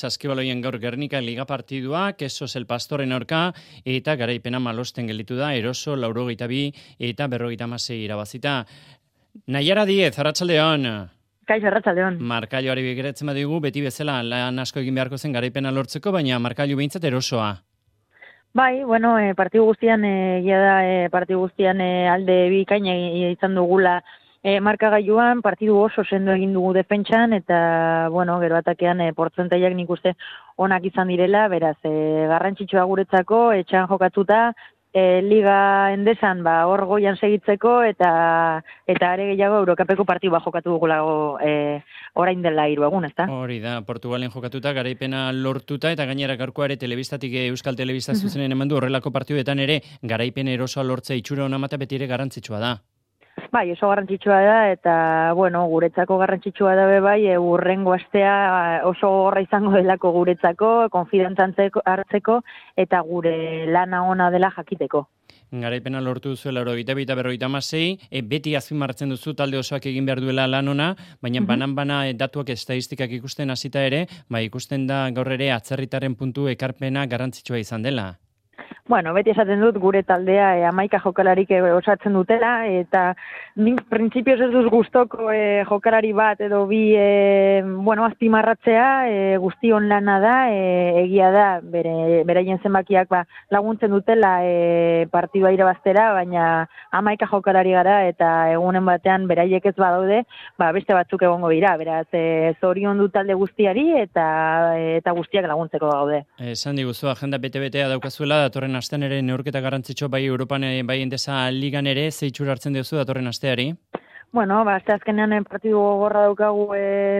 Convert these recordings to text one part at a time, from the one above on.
Saskibaloien gaur Gernika liga partidua, Kesos el Pastoren aurka, eta garaipena malosten gelditu da, Eroso 82 eta 56 irabazita. Naiara Diez, arratsaldeon. Kaixo, arratsaldeon. Markailuari begiratzen badigu, beti bezala lan asko egin beharko zen garaipena lortzeko, baina markailu behintzat Erosoa. Bai, bueno, partidu guztian, partidu guztian alde bikaina izan dugula markagailuan, partidu oso sendo egin dugu defentsan, eta, bueno, gero atakean portzentaiak nik uste onak izan direla, beraz, garrantzitsua guretzako, etxean jokatuta, Liga Endesan hor goian segitzeko, eta are gehiago Eurokapeko partidu jokatu dugulago orain dela 3 egun, ezta? Hori da, Portugalen jokatuta, garaipena lortuta, eta gainera gaurkoa ere telebistatik Euskal Telebista zuzenen eman du horrelako partiduetan ere, garaipen Erosoa lortzea itxura ona mata beti ere garrantzitsua da. Bai, oso garrantzitsua da, eta, bueno, guretzako garrantzitsua da bai, urrengo astea oso gorra izango delako guretzako, konfidantzan hartzeko, eta gure lana ona dela jakiteko. Garaipena lortu duzuela 82-56, beti azpimarratzen duzu talde osoak egin behar duela lan ona, baina banan-bana datuak estadistikak ikusten hasita ere, ikusten da gaur ere atzerritaren puntu ekarpena garrantzitsua izan dela. Bueno, beti esaten dut gure taldea 11 jokalarik osatzen dutela, eta nik printzipioz ez duz gustoko jokalari bat edo bi azpimarratzea, guztion lana da, egia da, beraien zenbakiak laguntzen dutela partidua irabaztera, baina 11 jokalari gara, eta egunen batean beraiek ez badaude, beste batzuk egongo dira, beraz, zorion du talde guztiari, eta guztiak laguntzeko gaude. Esan diguzu, agenda bete-betea daukazuela, datorren astean ere neurketa garrantzitsu bai Europan bai Endesa ligan ere, ze itxura hartzen duzu datorren asteari? Bueno, aste azkenean partidu gogorra daukagu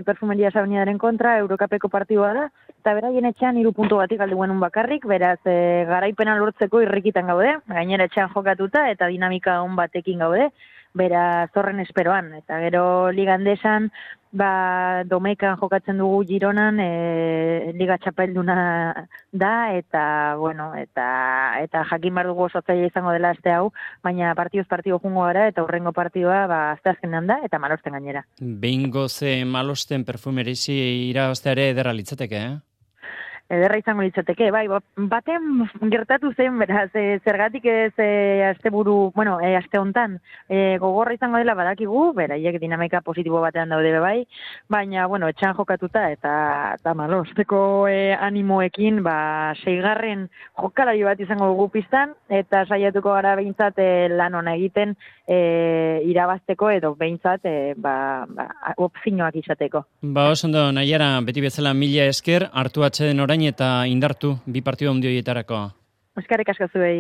Perfumeria Sabiniaren kontra, Eurokapeko partidua da, eta beraien etxean 3 puntu batik alde guenun bakarrik, beraz garaipena lortzeko irrikitan gaude, gainera etxean jokatuta eta dinamika on batekin gaude, beraz horren esperoan, eta gero Liga Endesan, Domekan jokatzen dugu Gironan, Liga Txapelduna da, eta, bueno, eta jakin behar dugu oso zaila izango dela aste hau, baina partiduz jungo gara, eta hurrengo partidua aste azkenean da, eta malosten gainera. Behingoz malosten Perfumerizi irabazteare ederra litzateke, Ederra izango litzateke, bai, baten gertatu zen, beraz, zergatik ez aste hontan gogorra izango dela badakigu, beraiek dinamika positibo batean daude bai, baina, bueno, etxean jokatuta eta malosteko animoekin, 6. jokalari bat izango dugu pistan, eta saiatuko gara behintzat lan ona egiten irabazteko edo behintzat opzioak izateko. Oso ondo, Naiara, beti bezala 1000 esker, hartu atxeden orain eta indartu, 2 partidu handi horietarako. Eskerrik asko zuei.